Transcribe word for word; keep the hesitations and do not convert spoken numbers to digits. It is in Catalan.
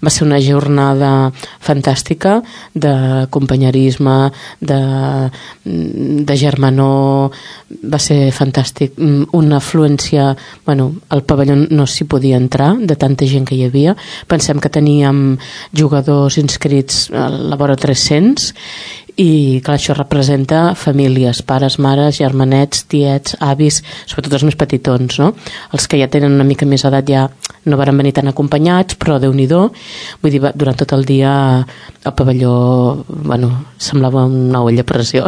va ser una jornada fantàstica de companyerisme, de, de germanor, va ser fantàstic. Una afluència, bueno, al pavelló no s'hi podia entrar de tanta gent que hi havia. Pensem que teníem jugadors inscrits a la vora tres-cents i clar, això representa famílies, pares, mares, germanets, tiets, avis, sobretot els més petitons, no? Els que ja tenen una mica més edat ja no varen venir tan acompanyats, però Déu-n'hi-do, vull dir, durant tot el dia el pavelló, bueno, semblava una olla a pressió.